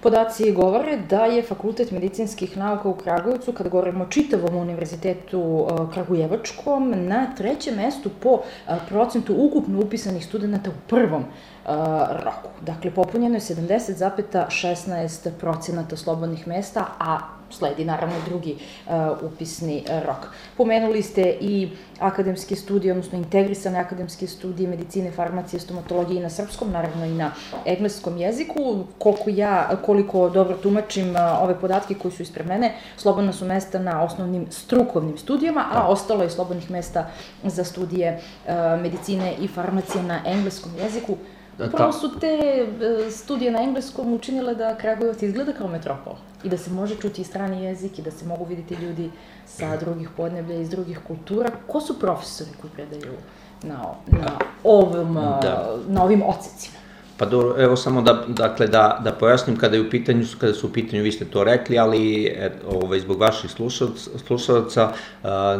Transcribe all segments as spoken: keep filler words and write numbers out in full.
podaci govore da je Fakultet medicinskih nauka u Kragujevcu, kada govorimo o čitavom univerzitetu kragujevačkom, na trećem mestu po procentu ukupno upisanih studenta u prvom roku. Dakle, popunjeno je sedamdeset zarez šesnaest procenata slobodnih mesta, a sledi naravno drugi upisni rok. Pomenuli ste i akademske studije, odnosno integrisane akademske studije medicine, farmacije, stomatologije i na srpskom, naravno i na engleskom jeziku. Koliko ja, koliko dobro tumačim ove podatke koji su ispred mene, slobodna su mesta na osnovnim strukovnim studijama, a ostalo je slobodnih mesta za studije medicine i farmacije na engleskom jeziku. Upravo su te studije na engleskom učinile da Kragujevac izgleda kao metropol i da se može čuti i strani jezik i da se mogu vidjeti ljudi sa drugih podneblja i iz drugih kultura. Ko su profesori koji predaju na, na, ovom, da. na ovim odsecima? Pa dobro, evo samo da, dakle, da, da pojasnim kada, je u pitanju, kada su u pitanju, vi ste to rekli, ali ovaj, zbog vaših slušalaca,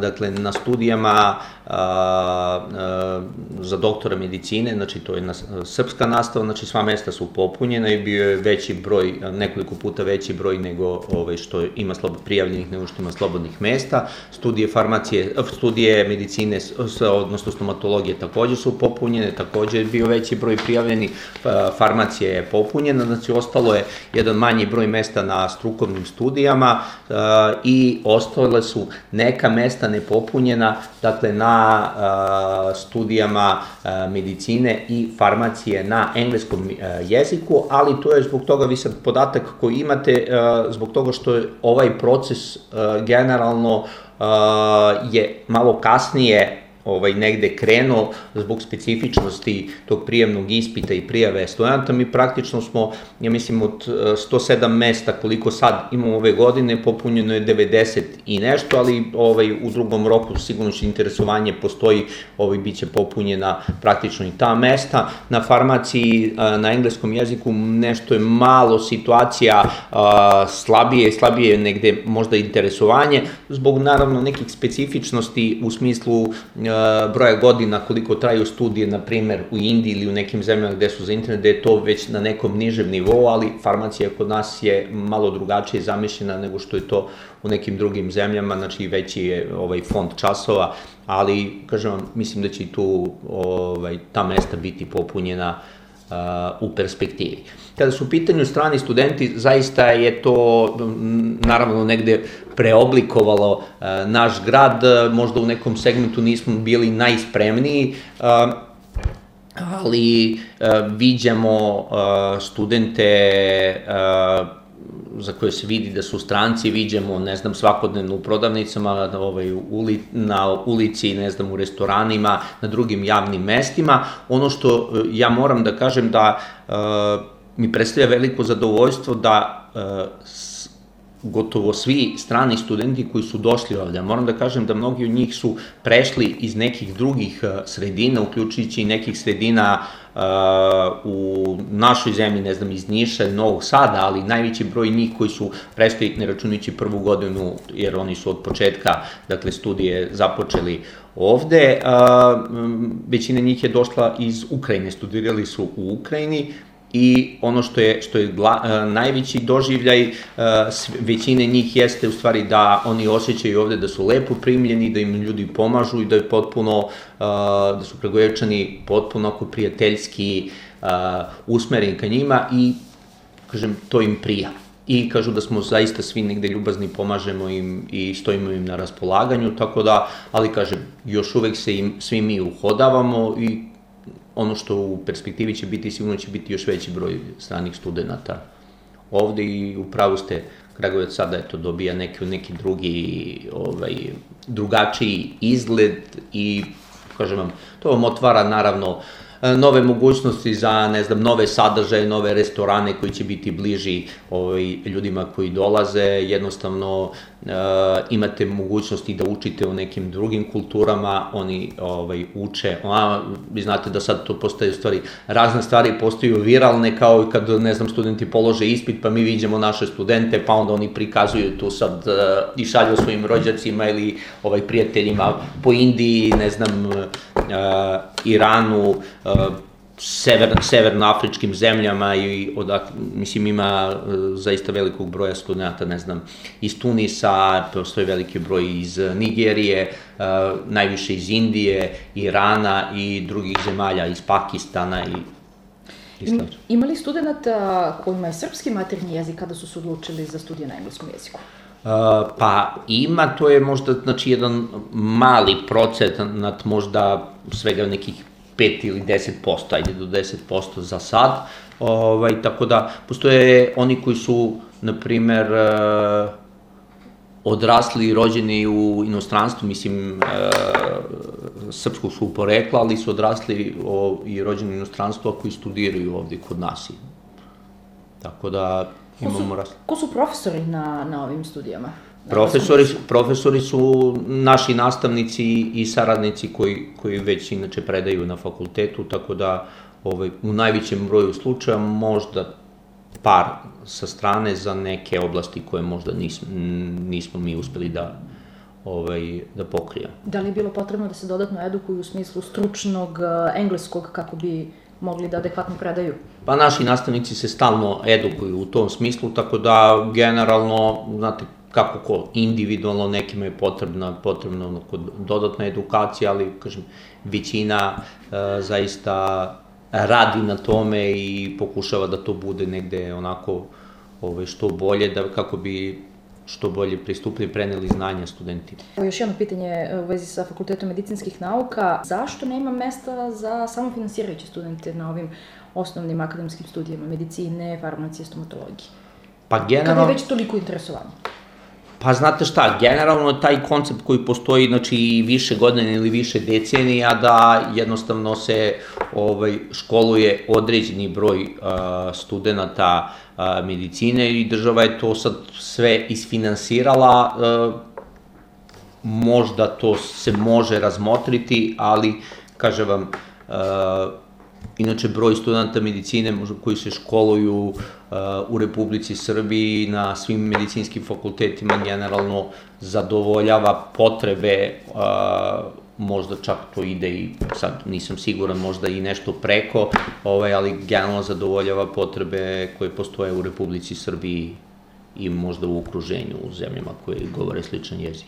dakle, na studijama a, a, za doktora medicine, znači to je na, srpska nastava, znači sva mesta su popunjena i bio je veći broj, nekoliko puta veći broj nego ovaj, što ima slobo, prijavljenih nego što ima slobodnih mesta. Studije farmacije, studije medicine, odnosno stomatologije također su popunjene, također je bio veći broj prijavljenih, farmacija je popunjena, znači ostalo je jedan manji broj mesta na strukovnim studijama uh, i ostale su neka mesta nepopunjena, dakle na uh, studijama uh, medicine i farmacije na engleskom uh, jeziku, ali to je zbog toga, vi sad podatak koji imate, uh, zbog toga što je ovaj proces uh, generalno uh, je malo kasnije ovaj, negde krenuo zbog specifičnosti tog prijemnog ispita i prijave studenta. Mi praktično smo, ja mislim, od sto sedam mesta koliko sad imamo ove godine, popunjeno je devedeset i nešto, ali ovaj, u drugom roku sigurno će interesovanje postoji, ovaj, bit će popunjena praktično i ta mesta. Na farmaciji, na engleskom jeziku nešto je malo situacija slabije, slabije je negde možda interesovanje, zbog naravno nekih specifičnosti u smislu broja godina koliko traju studije, na primjer u Indiji ili u nekim zemljama gde su za internet, gde je to već na nekom nižem nivou, ali farmacija kod nas je malo drugačije zamišljena nego što je to u nekim drugim zemljama, znači veći je ovaj fond časova, ali, kažem vam, mislim da će i tu ovaj, ta mesta biti popunjena uh, u perspektivi. Kada su u pitanju strani studenti, zaista je to naravno negde preoblikovalo uh, naš grad, možda u nekom segmentu nismo bili najspremniji, uh, ali uh, viđamo uh, studente uh, za koje se vidi da su stranci, viđemo, ne znam, svakodnevno u prodavnicama, ovaj, uli, na ulici, ne znam, u restoranima, na drugim javnim mestima. Ono što uh, ja moram da kažem da uh, mi predstavlja veliko zadovoljstvo da uh, s, gotovo svi strani studenti koji su došli ovdje, moram da kažem da mnogi od njih su prešli iz nekih drugih uh, sredina, uključujući i nekih sredina uh, u našoj zemlji, ne znam, iz Niša, Novog Sada, ali najveći broj njih koji su prešli, ne računajući prvu godinu, jer oni su od početka, dakle, studije započeli ovde. Uh, većina njih je došla iz Ukrajine, studirali su u Ukrajini, i ono što je, što je gla, uh, najveći doživljaj uh, većine njih jeste u stvari da oni osjećaju ovde da su lepo primljeni, da im ljudi pomažu i da je potpuno, uh, da su Kragujevčani potpuno oko prijateljski uh, usmereni ka njima i, kažem, to im prija. I kažu da smo zaista svi negde ljubazni, pomažemo im i stojimo im na raspolaganju, tako da, ali kažem, još uvek se im, svi mi uhodavamo i ono što u perspektivi će biti, sigurno će biti još veći broj stranih studenta ovde i upravo ste, Kragujevac sada eto, dobija neki, neki drugi, ovaj, drugačiji izgled i, kažem vam, to vam otvara naravno nove mogućnosti za, ne znam, nove sadržaje, nove restorane koji će biti bliži ovaj, ljudima koji dolaze, jednostavno e, imate mogućnosti da učite o nekim drugim kulturama, oni ovaj, uče, a, vi znate da sad to postaje u stvari, razne stvari postaju viralne, kao i kad, ne znam, studenti polože ispit, pa mi viđemo naše studente, pa onda oni prikazuju tu sad e, i šalju svojim rođacima ili ovaj, prijateljima po Indiji, ne znam, e, Iranu, sever, severnoafričkim zemljama i odak, mislim ima zaista velikog broja studenta, ne znam, iz Tunisa, postoji veliki broj iz Nigerije, najviše iz Indije, Irana i drugih zemalja, iz Pakistana i Im, ima li studenta kojima je srpski maternji jezik kada su se odlučili za studije na engleskom jeziku? Uh, pa ima, to je možda znači jedan mali procenat, možda svega nekih pet ili deset posto, ajde do deset posto za sad, ovaj, tako da postoje oni koji su, na primer, uh, odrasli i rođeni u inostranstvu, mislim, e, srpskog su porekla, ali su odrasli o, i rođeni u inostranstvu, koji studiraju ovde kod nas. Tako da imamo rast. Ko su profesori na, na ovim studijama? Profesori, profesori su naši nastavnici i saradnici koji, koji već inače predaju na fakultetu, tako da ovaj, u najvećem broju slučaja možda par sa strane za neke oblasti koje možda nismo, nismo mi uspeli da, ovaj, da pokrijemo. Da li je bilo potrebno da se dodatno edukuju u smislu stručnog engleskog kako bi mogli da adekvatno predaju? Pa naši nastavnici se stalno edukuju u tom smislu, tako da generalno, znate, kako ko, individualno nekima je potrebna, potrebna dodatna edukacija, ali, kažem, većina e, zaista radi na tome i pokušava da to bude negde onako ove, što bolje, da kako bi što bolje pristupili, preneli znanja studentima. Još jedno pitanje u vezi sa Fakultetom medicinskih nauka. Zašto nema mesta za samofinansirajuće studente na ovim osnovnim akademskim studijama medicine, farmacije, stomatologije? Pa generalno... Kada je već toliko interesovanje? Pa znate šta, generalno taj koncept koji postoji, znači, više godina ili više decenija, da jednostavno se ovaj, školuje određeni broj uh, studenta uh, medicine i država je to sad sve isfinansirala, uh, možda to se može razmotriti, ali, kažem vam, uh, inače, broj studenta medicine koji se školuju uh, u Republici Srbiji na svim medicinskim fakultetima generalno zadovoljava potrebe, uh, možda čak to ide i, sad nisam siguran, možda i nešto preko, ovaj, ali generalno zadovoljava potrebe koje postoje u Republici Srbiji i možda u okruženju, u zemljama koje govore sličan jezik.